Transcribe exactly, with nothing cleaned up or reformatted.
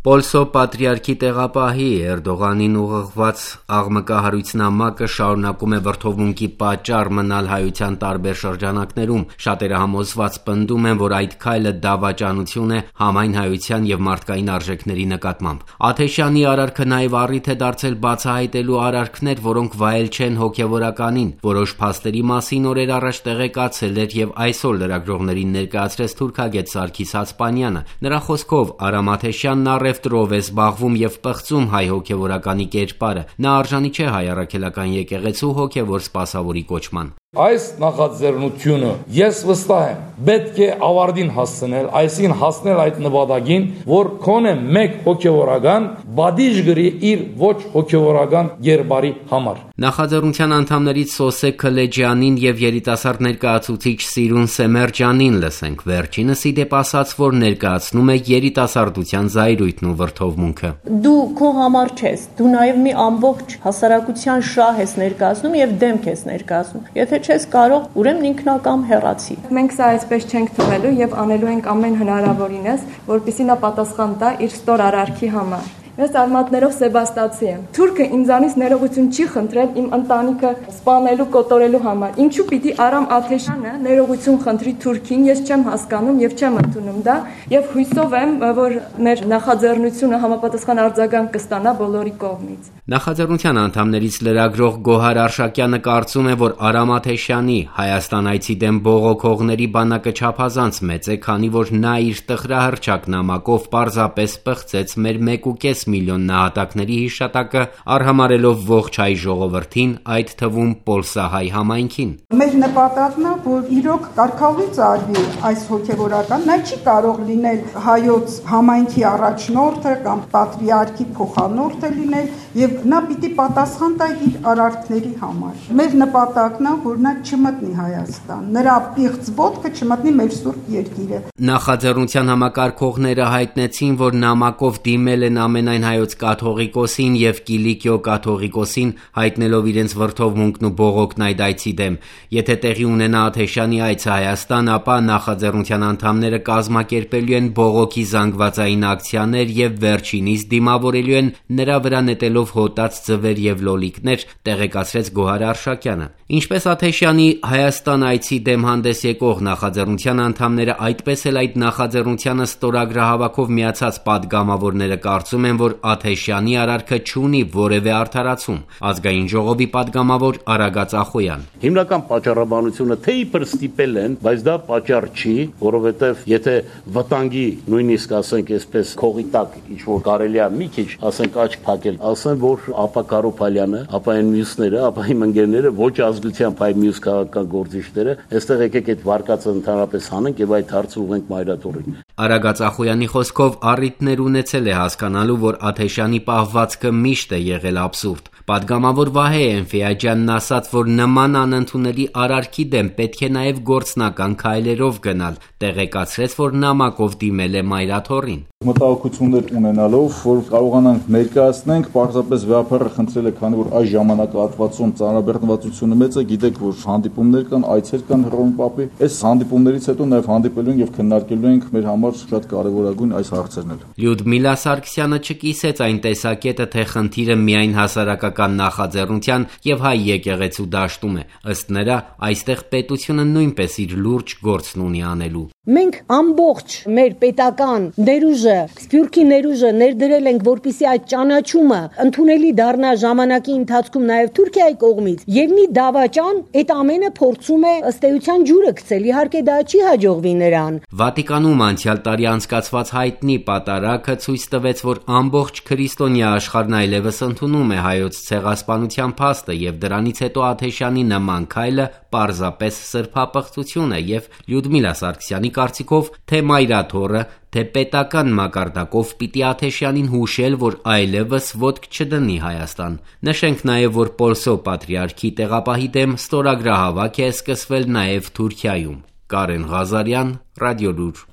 Պոլսո պատրիարքի տեղապահի Էրդողանին ուղղված աղմկահարույցնամակը շարունակում է վրդովմունքի պատճառ մնալ հայության տարբեր շրջանակներում։ Շատերը համոզված պնդում են, որ այդ քայլը դավաճանություն է համայն հայության և մարդկային արժեքների նկատմամբ։ Աթեշյանի արարքը նաև առիթ է դարձել բացահայտելու արարքներ, որոնք վայել չեն հոգևորականին։ Որոշ փաստերի մասին օրեր առաջ տեղեկացել էր և այսօր լրագրողներին ներկայացրեց թուրքագետ Սարգիս Հացպանյանը։ Նրա խոսքով Արամ Աթեշյանն առևտրով է զբաղվում և պղծում հայ հոգևորականի կերպարը։ Նա արժանի չէ հայ առաքելական եկեղեցու հոգևոր սպասավորի կոչման։ Այս նախաձեռնությունը ես վստահ եմ պետք է ավարտին հասցնել, այսինքն հասնել այդ նպատակին, որ քոնե մեկ հոգևորական բադիժ գրի իր ոչ հոգևորական կերպարի համար։ Նախաձեռնության անդամներից Սոսե Քլեջյանին և երիտասարդ ներկայացուցիչ Սիրուն Սեմերջյանին լսենք։ Վերջինս ի դեպ ասաց, որ ներկայացնում է երիտասարդության զայրույթն ու վրդովմունքը։ Դու քո համար չես, դու նաև մի ամբողջ հասարակության շահ ես ներկայացնում և դեմք ես ներկայացնում։ Եթե չես կարող, ուրեմն ինքնակամ հեռացի։ Մենք սա այսպես չենք թողելու եւ անելու ենք ամեն հնարավորինս, որպեսզի նա պատասխան տա իր ստոր արարքի համար։ Ես արմատներով Սեբաստացի եմ։ Թուրքը ինձանից ներողություն չի խնդրել իմ ընտանիքը սպանելու, կոտորելու համար։ Ինչու պիտի Արամ Աթեշյանը ներողություն խնդրի Թուրքին, ես չեմ հասկանում եւ չեմ ընդունում դա, եւ հույսով եմ, որ մեր նախաձեռնությունը համապատասխան արձագանք կստանա բոլորի կողմից։ Նախաձեռնության անդամներից լրագրող Գոհար Արշակյանը կարծում է, որ Արամ Աթեշյանի Հայաստան այցի դեմ բողոքողների բանակը չափազանց մեծ է, քանի որ նա իր տխրահռչակ նամակով պարզապես պղծեց մեր մեկ ու կես միլիոն նահատակների հիշատակը, արհամարելով ողջ հայ ժողովրդին, այդ թվում պոլսահայ համայնքին։ Մեր նպատակն է, որ իրոք կարգավորից արվի այս հոգևորական, նա չի կարող լինել հայոց համայնքի առաջնորդը կամ պատրիարքի փոխանորդը լինել, եւ նա պիտի պատասխան տա իր արարքների համար։ Մեր նպատակն է, որ նա չմտնի Հայաստան, նրա պիղծ ոտքը չմտնի մեր սուրբ երկիրը։ Նախաձեռնության համակարգողները հայտնեցին, որ նամակով դիմել են ամենայն հայոց կաթողիկոսին եւ Կիլիկիո կաթողիկոսին, հայտնելով իրենց վրդովմունքն ու բողոքն այդ այցի դեմ։ Եթե տեղի ունենա Աթեշյանի այցը Հայաստան, ապա նախաձեռնության անդամները կազմակերպելու են բողոքի զանգվածային ակցիաներ եւ վերջինիս դիմավորելու են նրա վրա նետելով հոտած ձվեր եւ լոլիկներ, տեղեկացրեց Գոհար Արշակյանը։ Ինչպես Աթեշյանի Հայաստան այցի դեմ հանդես եկող նախաձեռնության անդամները, այդպես էլ այդ նախաձեռնությանը ստորագրահավաքով միացած պատգամավորները կարծում են, որ Աթեշյանի արարքը չունի որևէ արդարացում։ Ազգային ժողովի պատգամավոր Արագած Ախոյան։ Հիմնական պատճառաբանությունը թե իբր ստիպել են, բայց դա պատճառ չի, որովհետև եթե վտանգի նույնիսկ ասենք այսպես քողի տակ ինչ որ կարելի է մի քիչ ասենք աչք փակել, ասեն որ ապա Կարոփալյանը, ապա այն մյուսները, ապա իմ ընկերները ոչ ազգությամբ այ մյուս քաղաքական գործիչները, այստեղ եկեք այդ վարկածը ընդհանրապես հանենք եւ այդ հարցը ուղենք մայրաթորին։ Արագած Ախոյանի խոսքով առիթներ ունեցել է հասկանալու, որ Աթեշյանի պահվածքը միշտ է եղել աբսուրդ։ Պատգամավոր Վահե Էնֆիաջյանն ասաց, որ նման անընդունելի արարքի դեմ պետք է նաև գործնական քայլերով գնալ, տեղեկացրեց, որ նամակով դիմել է մայրաթորին։ Մտահոգություններ ունենալով, որ կարողանանք ներկայացնենք, պարզապես վեհապարը խնդրել է, քանի որ այս ժամանակահատվածում ծանրաբեռնվածությունը մեծ է, գիտեք, որ հանդիպումներ կան, այցեր կան Հռոմ Պապի, այս հանդիպումներից հետո նաև հանդիպելու ենք եւ քննարկելու ենք մեր համար շատ կարևորագույն այս հարցերն էլ։ Լյուդմիլա Սարգսյանը չկիսեց այն տեսակետը, թե խնդիրը միայն հասարակական նախաձեռնության եւ հայ եկեղեցու դաշտում է։ Ըստ նրա, այստեղ պետությունը նույնպես իր լուրջ գործն ունի անելու։ Մենք ամբողջ մեր պետական ներուժը, սփյուռքի ներուժը ներդրել ենք, որպեսզի այդ ճանաչումը ընդունելի դառնա ժամանակի ընթացքում նաև Թուրքիայի կողմից, եւ մի դավաճան այդ ամենը փորձում է ըստ էության ջուրը գցել, իհարկե դա չի հաջողվի նրան։ Վատիկանում անցյալ տարի անցկացված հայտնի պատարագը ցույց տվեց, որ ամբողջ քրիստոնյա աշխարհն այլևս ընդունում է հայոց ցեղասպանության փաստը, եւ դրանից հետո Աթեշյանի նման քայլը պարզապես սրբապղծություն է, եւ Լյուդմիլա Սարգսյանի կարծիքով թե մայրաթորը, թե պետական մակարդակով պիտի Աթեշյանին հուշել, որ այլևս ոտք չդնի Հայաստան։ Նշենք նաև, որ Պոլսո պատրիարքի տեղապահի դեմ ստորագրահավաք է սկսվել նաև Թուրքիայում։ Կարեն Ղազարյան, Ռադիոլուր։